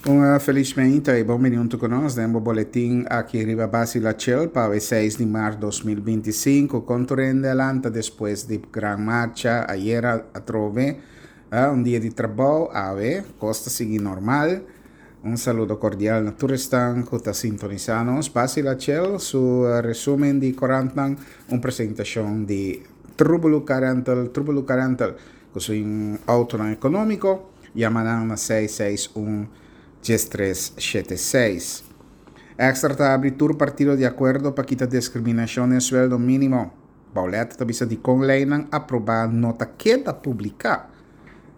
Un felis meinta y bon bini hunto cu nos den bo boletin aki riba Basi La Chel pa awe 6 di maart 2025. Con tur hende a lanta despues di gran marcha ayera atrobe, un dia di trabou awe, cos ta sigui normal. Un saludo cordial na tur esnan cu ta sintonisa nos. Basi La Chel su resumen di corantnan, un presentacion di Trubulu Car Rental, Trubulu Car Rental cu su autonan economico. Yama nan na seis seis un diestres shete seis. Extra ta abri tur partido di akuerdo pa kita deskriminashon den sueldo mínimo. Baulet ta bisa dikon leinan aprobá no ta keda publiká.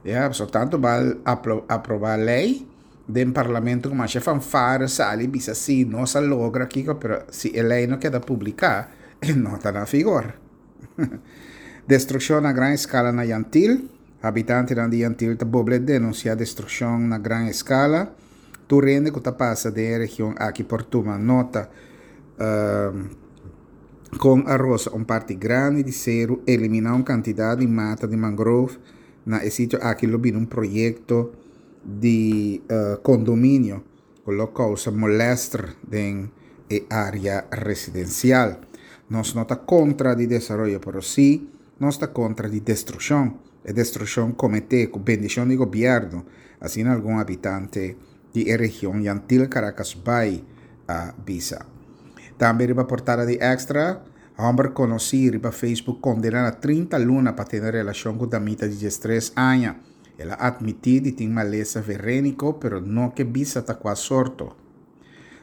Ya, pasobra tantu bal aprobá lei den parlamento ku masha fanfare sali bisa si nos a logra kiko, pero si e lei no keda publiká e no ta na vigor. Destrukshon na gran eskala na Yantil. Habitantenan di Yantil ta boble denunsiá destrukshon na gran eskala. Tur hende ku ta pasa den e region aki por tuma nota kon a rosa un parti grandi di seru, eliminá un kantidat di mata di mangrove. Na e sitio aki lo bini un proyekto di kondominio. ku lo kousa molèster den e área residensial. Nos no ta kontra di desaroyo, pero sí nos ta kontra di destrukshon. E destrukshon kometé ku bendishon di gobièrnu, asina algun habitante di e region Yantil Caracasbaai a bisa. Tambe riba portada di Extra, hòmber konosí riba Facebook kondená na 30 luna pa tene relashon ku damita di diestres aña. El a atmití di tin malesa veréniko pero no ke bisa ta kua sorto.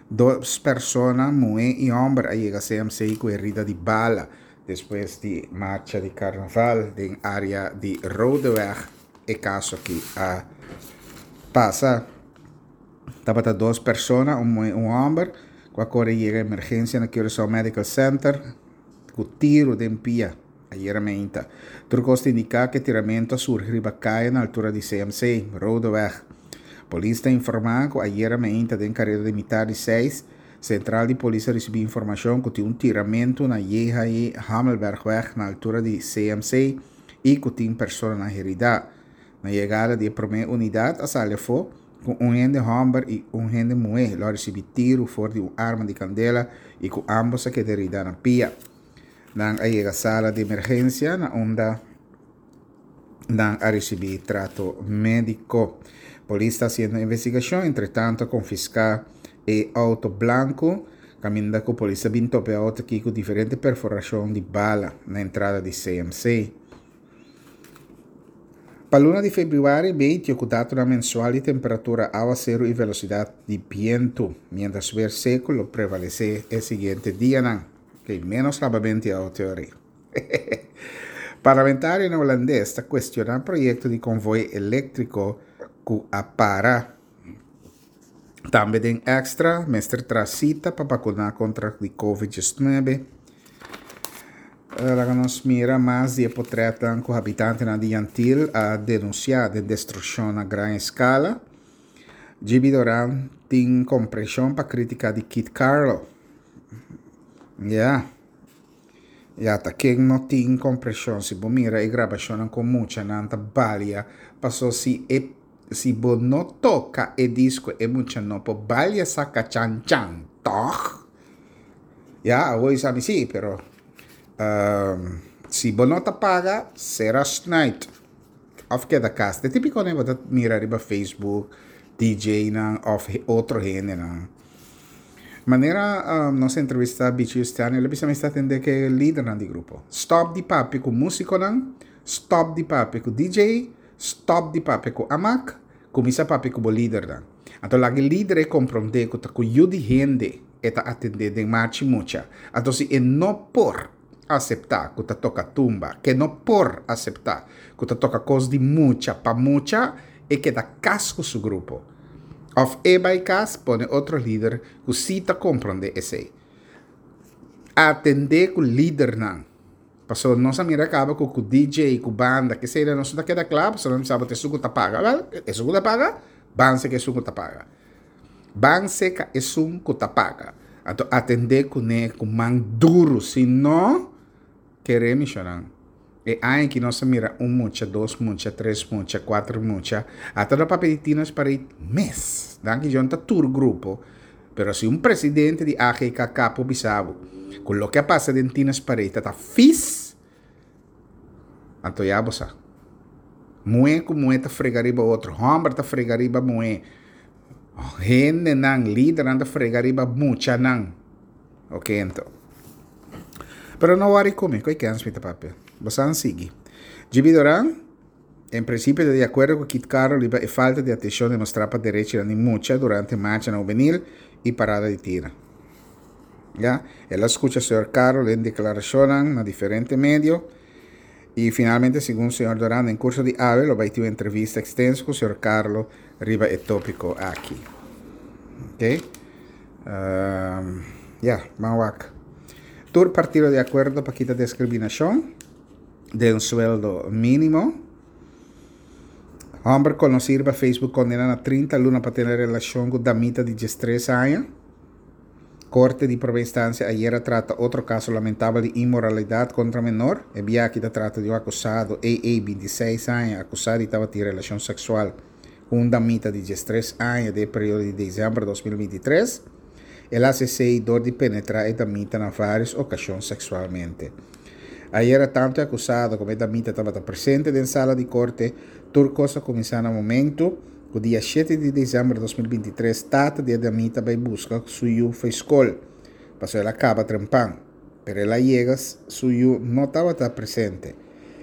Dos persona, muhé i hòmber, a yega CMC ku herida di bala despues di marcha di karnaval den área di Rodeweg. E kaso aki a pasa. Tabata dos persona, un muhé i un hòmber, ku a kore yega emergensia na Curaçao Medical Center ku tiru den pia. Ayera meinta. Tur kos ta indiká ku e tiramentu a surgi riba kaya na altura di CMC, Rodeweg. Polis ta informá ku ayera meinta den kareda di mitar di seis, sentral di polis a risibí informashon ku tin un tiramentu na JHE Hamelbergweg na altura di CMC i ku tin personanan heridá. Na yegada di e promé unidat a sali afó ku un hende hòmber i un hende muhé lo a risibí tiru for di un arma di kandela i ku ámbos a keda heridá na pia. Nan a yega sala di emergensia na unda nan a risibí trato médiko. Polis ta hasiendo investigashon, entretanto a konfiská e outo blanku kaminda ku polis a bin topa e outo aki ku diferente perforashon di bala na entrada di CMC. Pa luna di febrüari medio ku datonan mensual di temperatura, awaseru i velosidat di bientu, miéntras wer seku lo prevalesé e siguiente dianan. Ok, menos labamento di auto ori. Parlamentarionan holandes ta cuestiona proyecto di convoy electrico cu a para. Tambe den extra mester traha cita pa vacuna contra di Covid 19. Eh, laga nos mira mas di e potretnan cu habitantenan di Yantil a denuncia den destruccion na gran escala. GB Doran tin comprension pa critica di Kit Carlo. Ya. Ya, ta ken no tin comprension si bo mira e grabacionnan con muchanan ta balia paso si e si bo no toca e disco e mucha no por balia saca chan chan, toch? Ya, awor sa mi si, pero um, si bo no ta paga, sera snuit. Of keda kas. De típiko nan bo ta mira riba Facebook, DJ nan of otro hendenan. Manera nos entrevista Bichi Justiano, el a bisa mi sta atende ku e lidernan di grupo. Stop di papia ku musikonan, stop di papia ku DJ, stop di papia ku amak, kuminsá papia ku bo lidernan. Anto laga e lider e komprondé ku ta ku yu di hende e ta atendé den marchi mucha. Anto si e no por aseptá ku ta toka tumba, ke no por aseptá ku ta toka kos di mucha pa mucha, e keda kas ku su grupo. Òf e bai kas pone otro lider ku sí ta komprondé esei. Atendé ku lidernan. Pasobra nos a mira kaba ku ku DJ, ku banda, kesei nos no ta keda kla pasobra nan bisa bo ta esun ku ta paga. Wèl, esun ku ta paga, ban seka esun ku ta paga. Ban seka esun ku ta paga. Anto atendé kuné ku man duru, si no, kere mishonan. E aña aki nos a mira un mucha, dos mucha, tres mucha, kuater mucha. Ata no papia di Tiener's Parade mes. Danki Dios no ta tur grupo, pero si un presidente di AGKK por bisa bo ku loke a pasa den Tiener's Parade ta ta fis, anto ya bo sa. Muhé ku muhé ta frega riba otro, hòmber ta frega riba muhé, hendenan, lidernan ta frega riba muchanan. Ok anto. Pero no worry ku mi, ku e kens mi ta papia. Bosan sigui. GB Doran, en principio ta di acuerdo ku Kit Caro riba e falta di atencion demostrá pa derechinan di mucha durante marchanan hubenil i parada di tira. Ya, el a skucha señor Caro den deklarashonnan na diferente medio i finalmente segun señor Doran den kurso di awe lo bai tin un entrevista ekstenso ku señor Carlo riba e tópiko aki. Ok. Ya, ban wak. Tur partido di akuerdo pa kita deskriminashon den sueldo mínimo. Hòmber konosí riba Facebook kondena na 30 luna pa tene relashon ku damita di diestres aña. Korte di Prome Instansia ayer a trata otro kaso lamentabel di inmoralidat kontra menor. E bia aki ta trata di un akusado, AA, 26 aña, akusá di tabatin relashon seksual ku un damita di diestres aña den e periodo di desèmber 2023. El a hasi esei dor di penetrá e damita na vários okashon seksualmente. Ayera tantu e akusado komo e damita tabata presente den sala di korte. Tur kos a kuminsá na momentu ku dia shete di desèmber 2023 tata di e damita bai buska su yu fo'i skol, pasobra el a kaba trempan. Pero el a yega su yu no tabata presente.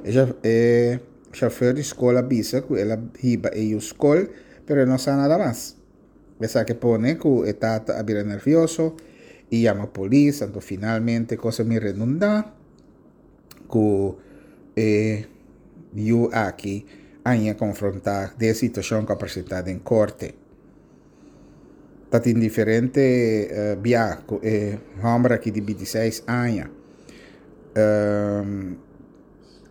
E Chauffeur di skol a bisa ku el a hiba e yu skol, pero e no sa nada mas. Esaki pone ku e tata a bira nervioso i yama polis, anto finalmente kos a mi redundá ku e yu aki a haña konfrontá den e situashon ku a presentá den korte. Ta tin diferente bia ku e hòmber aki di bintiseis aña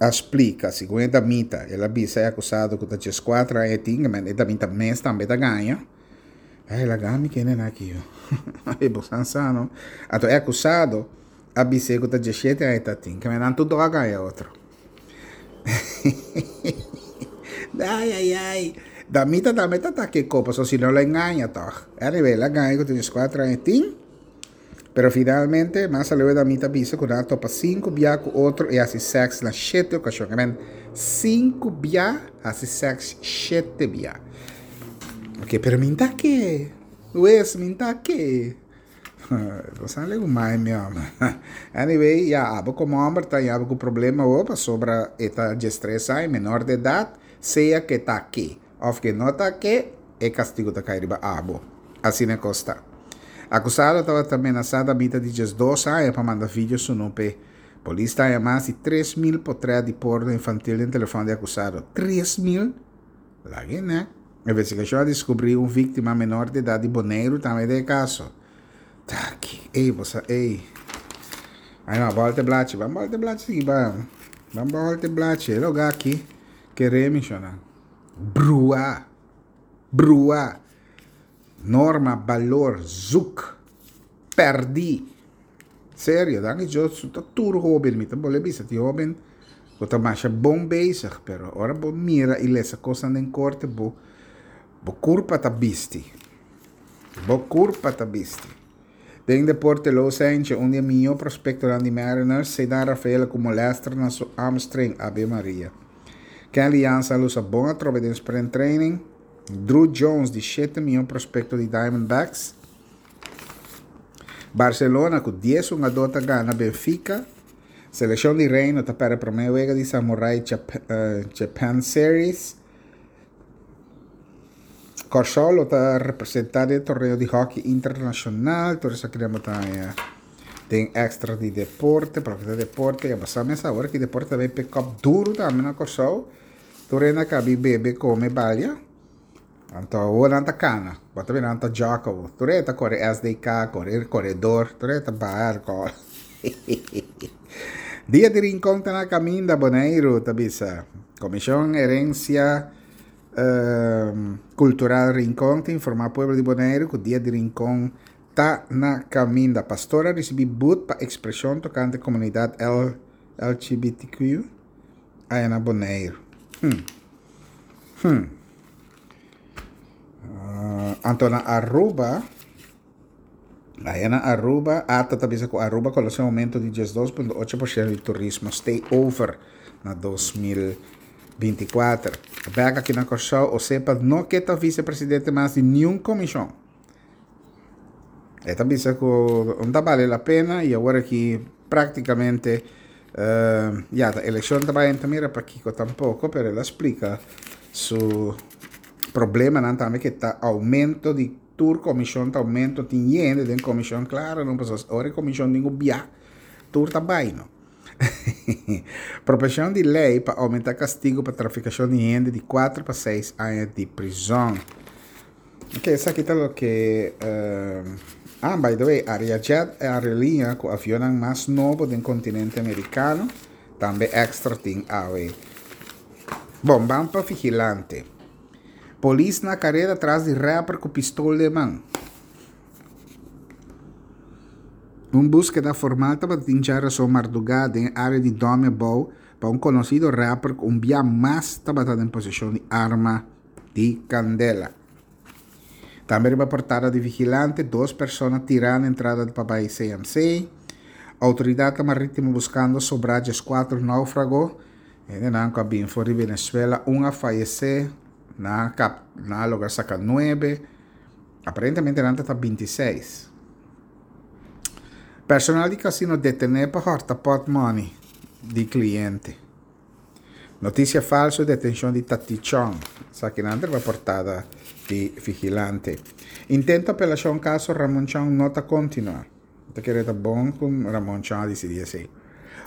a splika, segun e damita, el a bisa e akusado ku ta dieskuater aña e tin, e damita mes tambe ta gaña. Ay, laga mi kende na aki yo. Ay, bo san sa no. Anto e akusado a bis'é ku ta diesshete aña e ta tin, kende nan tur dos a gaña otro. Ay, ay, ay. Damita tambe ta ta ke ko, pasobra si no lo e gaña tòg. Anyway, el a gaña ku ta dieskuater aña e tin. Pero finalmente, mas aleu e damita bisa ku nan a topa sinku bia ku otro i hasi sèks na shete okashon. I men, sinku bia hasi sèks shete bia. Ok, pero mi n'ta ke. Wes, mi n'ta ke. Bo sa alegu mai mi hòmber. Anyway, ya, abo komo hòmber ta haña abo ku problema awor pasobra e ta diestres aña, menor de edat, sea ke ta ke òf ke no ta ke, E kastigu ta kai riba abo. Asina e kos ta. Akusado tabata menasá damita di diesdos aña pa manda video sunú p'e. Polis ta haña mas di 3000 potrèt di porno infantil den telefòn di akusado. 3000? Laga e nèk. Investigashon a diskubrí un víktima menor di edat di Boneiru tambe den e kaso. Taki. Ey, bo sa, ey. Ay no, bòlta e blachi. Ban bòlta e blachi sigui ban. Ban bòlta e blachi. E lugá aki keré mi shonnan. Bruá. Bruá. Norma, balor, zoek. Pèrdí. Serio, danki Dios ta tur hóben, mi ta bolbe bisa tin hóben ku ta masha bon bezig, pero ora bo mira i lesa kosnan den korte bo bo kurpa ta bisti. Bo kurpa ta bisti. Den deporte Lou Saintje, un di e mihó prospektonan di Mariners, Ceddanne Rafaela ku molèster na su hamstring, Ave Maria. Kenley Jansen a lusa bon atrobe den sprint training. Druw Jones di shete mihó prospekto di Diamondbacks. Barcelona ku dies hungadó ta gana Benfica. Selekshon di Reino ta pèrdè promé wega di Samurai Japan Series. Kòrsou lo ta representá den torneo di hòki internashonal. Tur esaki nan bo ta haña den èkstra di deporte. Pa loke ta deporte ya bo sa mes awor ki deporte ta bay pick up duru tambe na Kòrsou. Tur hende a kabi bebe, kome, balia. Anto awor nan ta kana. Bo ta mira nan ta jòk awor. Tur hende ta kore SDK, kore koredor, tur hende ta baha alkohòl. Dia di Rincon ta na kaminda, Boneiru ta bisa. Komishon Herensia Kultural Rincon ta informá pueblo di Boneiru ku Dia di Rincon ta na kaminda. Pastor a risibí but pa ekspreshon tokante komunidat LGBTQ. Aya na Boneiru. Hm. Hm. Anto na Aruba, aya na Aruba, ata ta bisa ku Aruba konosé un oumento di 12.8% di turismo stay over na 2024. Bèk aki na Kòrsou, Osepa no ke ta visepresidente mas di niun komishon. E ta bisa ku no ta bale la pena i awor aki práktikamente ya ta elekshon ta bai ta mira pakiko tampoko pero el a splika su problemanan tambe ke ta oumento di tur komishon ta oumento tin yende den komishon klaro no pasobra ora e komishon tin ku bia tur ta bai no. Proposishon di lei pa oumenta kastigu pa trafikashon di hende di kuater pa seis aña di prizòn. Ok, esaki ta loke Ah, by the way, Ariajet e aerolínea ku avionnan mas nobo den kontinente amerikano, tambe Extra tin awe. Bon, ban pa Vigilante. Polis na kareda tras di rapper ku pistol den man. Un búskeda formal tabatin djarason mardugá den e área di Dòmi Abou pa un konosido rapper ku un bia mas tabata den poseshon di arma. di kandela. Tambe riba portada di Vigilante, dos persona tirá na entrada pa bai CMC. Outoridatnan marítimo buskando sobrá 14 náufrago. Hendenan ku a bin for di Venezuela, un a fayesé, nan a kap, nan a logra saka nuebe. Aparentemente nan ta ta 26. Personal di kasino detené pa hòrta pòtmòni di kliente. Noticia falso detencion di Tati Chong. Esakinan ta riba portada di Vigilante. Intento apelacion caso Ramon Chong no ta continua. Ta kere ta bon cu Ramon Chong a dicidi esey.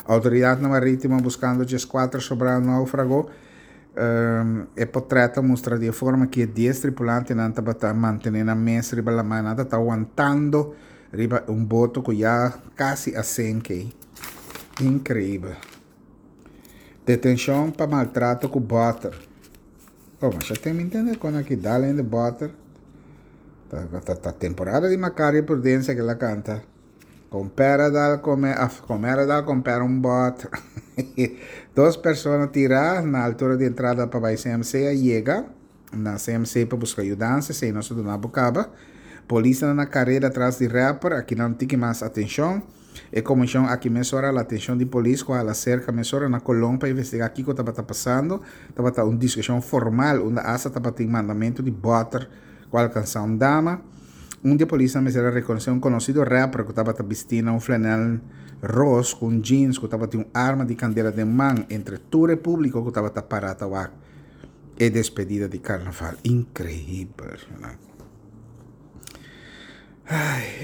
Autoridadnan maritimo buscando 14 sobrado naufrago. E potret ta mustra di e forma ki e 10 tripulantenan tabata mantene nan mes riba laman. Nan ta wantando riba un boto cu ya casi a senke. Increibel. Detenshon pa maltrato ku bòter. Oh, masha tem mi ntende kon aki dal hende bòter. Ta, ta, ta temporada di Macario Prudencia ke la kanta. Kompera dal kome, af, komera dal kompera un bòter. Dos persona tirá na altura di entrada pa bai CMC a yega na CMC pa buska yudansa, esei nos a duna bo kaba. Polisnan na kareda tras di rapper, aki nan tiki mas atenshon. E komishon aki mesora la atenshon di polis ku a hala serka mesora na Colón pa investigá kiko tabata pasando. Tabata un diskushon formal unda asta tabatin mandamentu di bòter ku a alkansá un dama. Un di e polisnan mester a rekonosé un konosido rapper ku tabata bistí na un flanèl ros ku un jeans ku tabatin un arma di kandela den man entre tur e públiko ku tabata pará ta wak e despedida di karnaval. Inkreibel.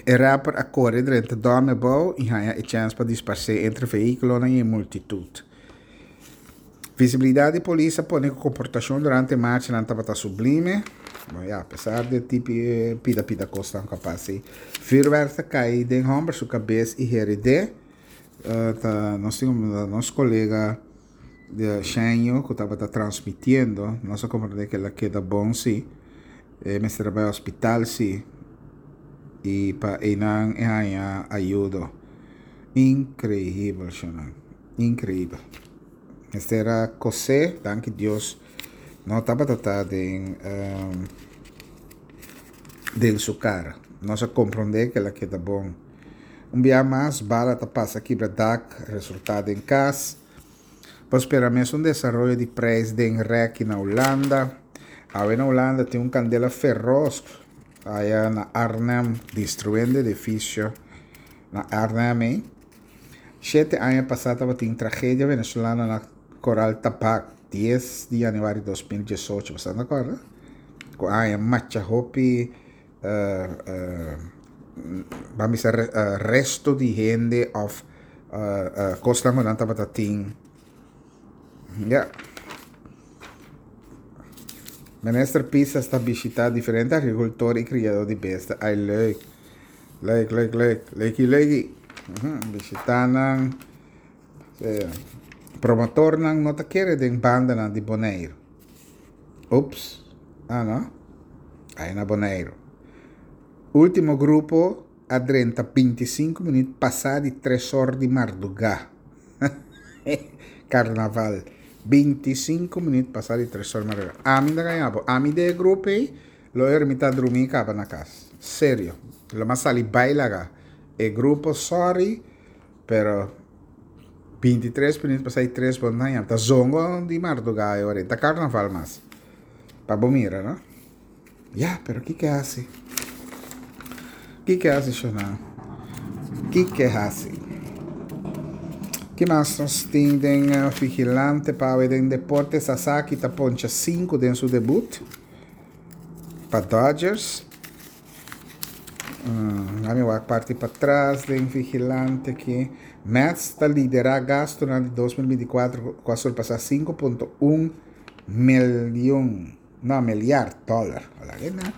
E rapper a kore drenta dòmi abou i haña e chèns pa disparsé entre vehíkulonan i e multitut. Visibilidat di polis a pone ku komportashon durante e marchanan tabata sublime. Bon ya, apesar di e tipi pida pida kosnan ku a pasa ei. Vürwèrk ta kai den hòmber su kabes i herid'é. Ta nos tin nos kolega. De Sheño ku tabata transmitiendo, nos a komprendé ku el a keda bon sí, e mester a bai hospital sí, i pa einan e haña ayudo. Inkreibel shonnan, inkreibel. Mester a kosé, danki Dios no tabata ta den den su kara. Nos a komprendé ku el a keda bon. Un bia mas bala ta pasa kibra dak, resultá den kas. Por spera mes un desaroyo di prijs den rèki na Hulanda. Awe na Hulanda tin un kandela feros aya na Arnhem destruendo edifisio na Arnhem ei. Shete aña pasá tabatin tragedia venezolano na Koral Tabak dies di yanüari 2018. Bo sa ta kòrda? Ku a haña macha hopi ban bisa resto di hende of kosnan ku nan tabata tin ya. Minister Pisas ta bishita diferente agrikultor i kriadó di besta. Ai leuk, leuk, leuk, leuk, leuki leuki. Bishita nan. Promotornan no ta kere den bandanan di Boneiru. Ups, ah no, ai na Boneiru. Ultimo grupo a drenta 25 minuut pasá di tres or di mardugá. Karnaval. 25 minuut pasa di tres or mardugá. Ami ta gaña bo. Ami den e grupo ei lo e mi ta drumi kaba na kas. Serio. Lo mas sali bai laga e grupo sorry pero 23 minuut pasa di tres bo no ta haña. Ta zongo di mardugá e ora ei. Ta karnaval mas. Pa bo mira no. Ya, pero kiko hasi? Kiko hasi shona? Kiko hasi? Ki mas nos tin den eh, Vigilante pa awe den deporte? Sasaki ta poncha 5 den su debut pa Dodgers. Mm, ami wak parti patras den Vigilante ki. Mets ta lidera gastonan di 2024 ku a surpasa 5.1 miljoen. No, milyard dollar. Hola ke na.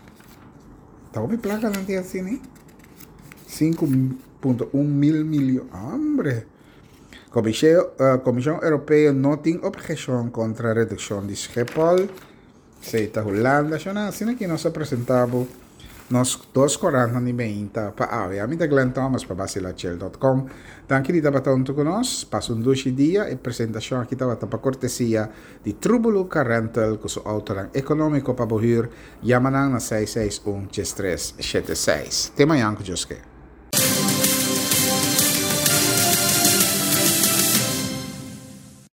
Ta hopi plaka nan tin asina eh. 5.1 mil milyon. Hombre. Komishon Europeo no tin obheshon kontra redukshon di Schiphol. Esei ta Hulanda. Shona, asina ki nos a presenta bo nos dos korantnan di meinta pa awe. Ami ta Glenn Thomas pa Basilachel dot com. Danki di tabata huntu ku nos. Pasa un dushi dia. E presentashon aki tabata pa kortesia di Trubulu Car Rental ku su outonan ekonómiko pa bo hür, yama nan na 661 3376. Te mañan ku Dios ke.